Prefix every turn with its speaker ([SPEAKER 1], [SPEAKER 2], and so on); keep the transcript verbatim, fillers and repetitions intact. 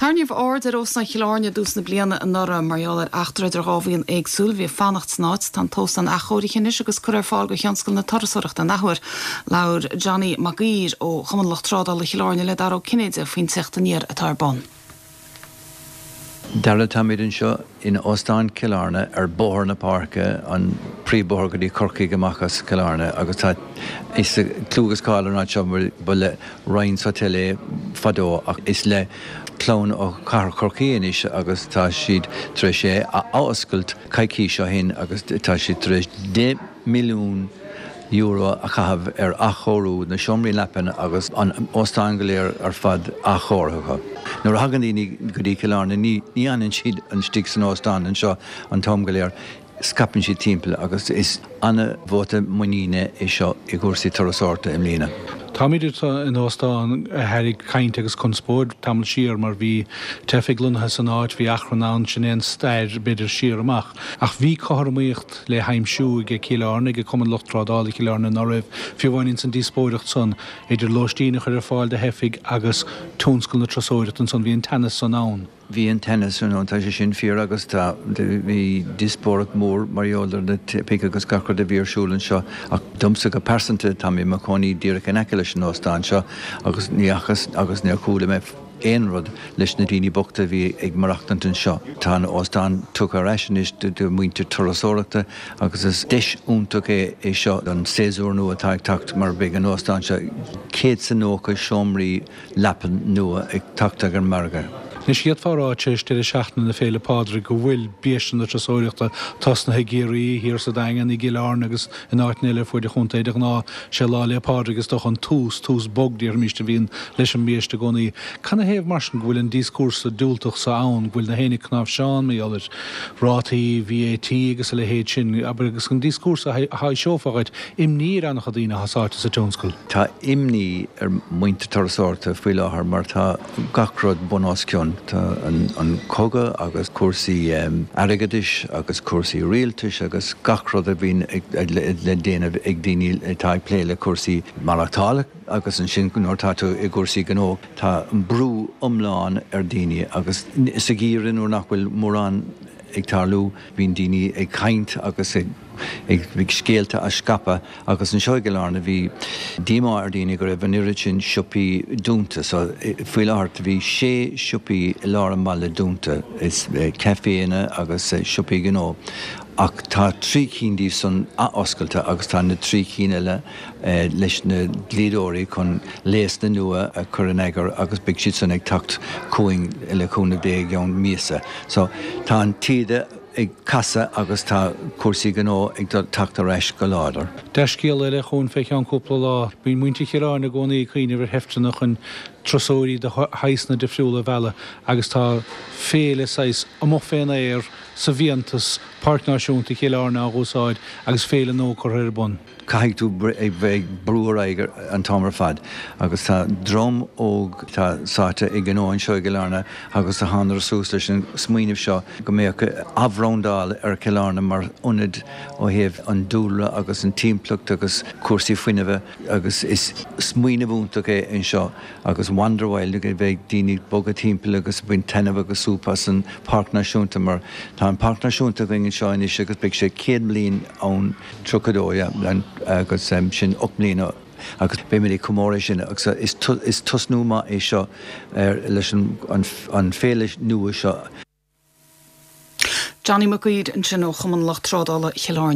[SPEAKER 1] Tarraingíodh aird ar Óstán Chill Airne i dtús na bliana anuraidh mar gheall ar eachtra idir dhá bhuíon éagsúil a bhí ag fanacht san áit tá an t-óstán athchóirithe anois agus curtha ar fáil do thionscal na turasóireachta an athuair. Labhair Johnny Mac Uidhir ó Chumann Lucht Trádála Chill Airne le Dara Ó Cinnéide faoin teacht aniar atá ar bun.
[SPEAKER 2] Dara táimid anseo in Óstán Chill Airne ar Bhóthar na Páirce an príomhbhóthar go dtí Corcaigh amach as Cill Airne agus tá is clú agus cáil ar an seo ba le Ryan's Hotel é fadó ach is le clann ó chathair Chorcaí anois agus tá siad tar éis é a oscailt coicís ó shin agus tá siad tar éis deich milliún euro a chaitheamh ar athchóiriú na seomraí leapan agus an óstán go léir ar fad athchóirithe. Nuair a thagann daoine go dtí Cill Airne ní ní fhanann siad istigh san óstán anseo an t-am go léir scaipeann siad timpeall agus is an-vóta muiníne é seo i gcúrsaí turasóireachta i mbliana.
[SPEAKER 3] Táimid in óstán a tharraing caint agus conspóid tamall siar mar bhí teifigh lonnaithe san áit bhí achrann ann sin é an stair b'fhéidir siar amach. Ach bhí cothromaíocht le haimsiú ag Cill Airne ag Cumann Lucht Trádála Chill Airne anuraidh fiú amháin san díospóireacht san idir lóistín a chur ar fáil do theifigh agus tionscal na turasóireachta ansan bhí an teannas san ann.
[SPEAKER 2] Bhí an teannas san ann tá sé sin fíor agus tá bhí díospóireacht mór mar gheall ar na teifigh agus gach rud a bhí ar siúl anseo ach domsa go pearsanta tá mé i mo chónaí díreach in aice leis an óstán seo agus ní fhacthas agus níor chuala mé aon rud leis na daoine bochta bhí ag maireachtaint anseo. Tá an óstán tugtha ar ais anois do mhuintir turasóireachta agus is deis iontach é é seo an séasúr nua atá ag teacht mar beidh an óstán seo céad is nócha seomraí leapan nua ag teacht ar an margadh.
[SPEAKER 3] Anois d'fhéadfá a rá tar éis deireadh seachtaine na Féile Pádraig go bhfuil biaiste na turasóireachta tosnaithe i gCiarraí thiar sa Daingean i gCill Airne agus in áiteanna eile fuaid an chontae de ghnáth sé Lá 'le Pádraig is dócha an tús tús bog déarfaimis a bhíonn leis an mbiaiste i gcónaí. Canathaobh mar sin go bhfuil an díoscúrsa diúltach seo ann go bhfuil na héinne cnáimhseán mar gheall ar rátaí VAT agus a leithéid sin agus an díoscúrsa a thaibhseofá dhuit imní ar an-chuid daoine atá sáite sa tionscal.
[SPEAKER 2] Tá imní ar mhuintir turasóireachta faoi láthair mar tá gach rud bun os cionn. Tá an, an cogadh agus cúrsaí um, airgeadais agus cúrsaí rialtais agus gach rud a bhíonn le déanamh ag daoine atá ag plé le cúrsaí maireachtála agus ansin nuair tá tú i gcúrsaí gnó tá brú iomlán ar daoine agus sa gheimhreadh nuair nach bhfuil mórán ag tarlú bíonn daoine ag caint agus ag ag bhí scéalta á scaipeadh agus anseo i gCill Airne bhí díomá ar daoine go raibh an oiread sin siopaí dúnta so faoi láthair bhí sé siopaí i lár an bhaile dúnta is caiféanna agus siopaí gnó. Ach tá trí cinn díobh san athoscailte agus tá na trí cinn eile leis na dlíodóirí chun léasanna nua a chur in eagar agus beidh siad san ag teacht chugainn le cúnamh Dé i gceann míosa. So tá an taoide ag casadh agus tá cúrsaí gnó ag teacht ar ais go láidir.
[SPEAKER 3] Dea-scéal eile chugainn fé cheann cúpla lá, bíonn muintir Chill Airne i gcónaí ag cuimhneamh ar sheifteanna chun turasóirí de shaghsanna difriúla a mhealladh agus tá féile saghas amuigh fén aer sa bhfiántas Páirc Náisiúnta Chill Airne á úsáid agus féile nua curtha ar bun.
[SPEAKER 2] Caithfidh tú ag bheith brú ar aghaidh an t-am ar fad agus tá dream óg tá sáite i gnó anseo i gCill Airne agus a tháinig suas leis an smaoineamh seo go mbeadh athbhrandáil ar Chill Airne mar ionad ó thaobh an dúlra agus an timpeallacht agus cúrsaí fuinnimh agus is smaoineamh iontach é anseo agus Wanderwild go bheidh daoine bogadh timpeall agus baint taitneamh agus súp as an Páirc Náisiúnta mar tá an Páirc Náisiúnta againn anseo anois agus beidh sé céad bliain ann tríocha dó agus sin ocht mbliana agus beimid ag comóradh sin agus is, is tosnú maith é seo ar leis an, an, an féile nua seo.
[SPEAKER 1] Johnny Mac Uidhir ansin ó Chumann Lucht Trádála Chill Airne.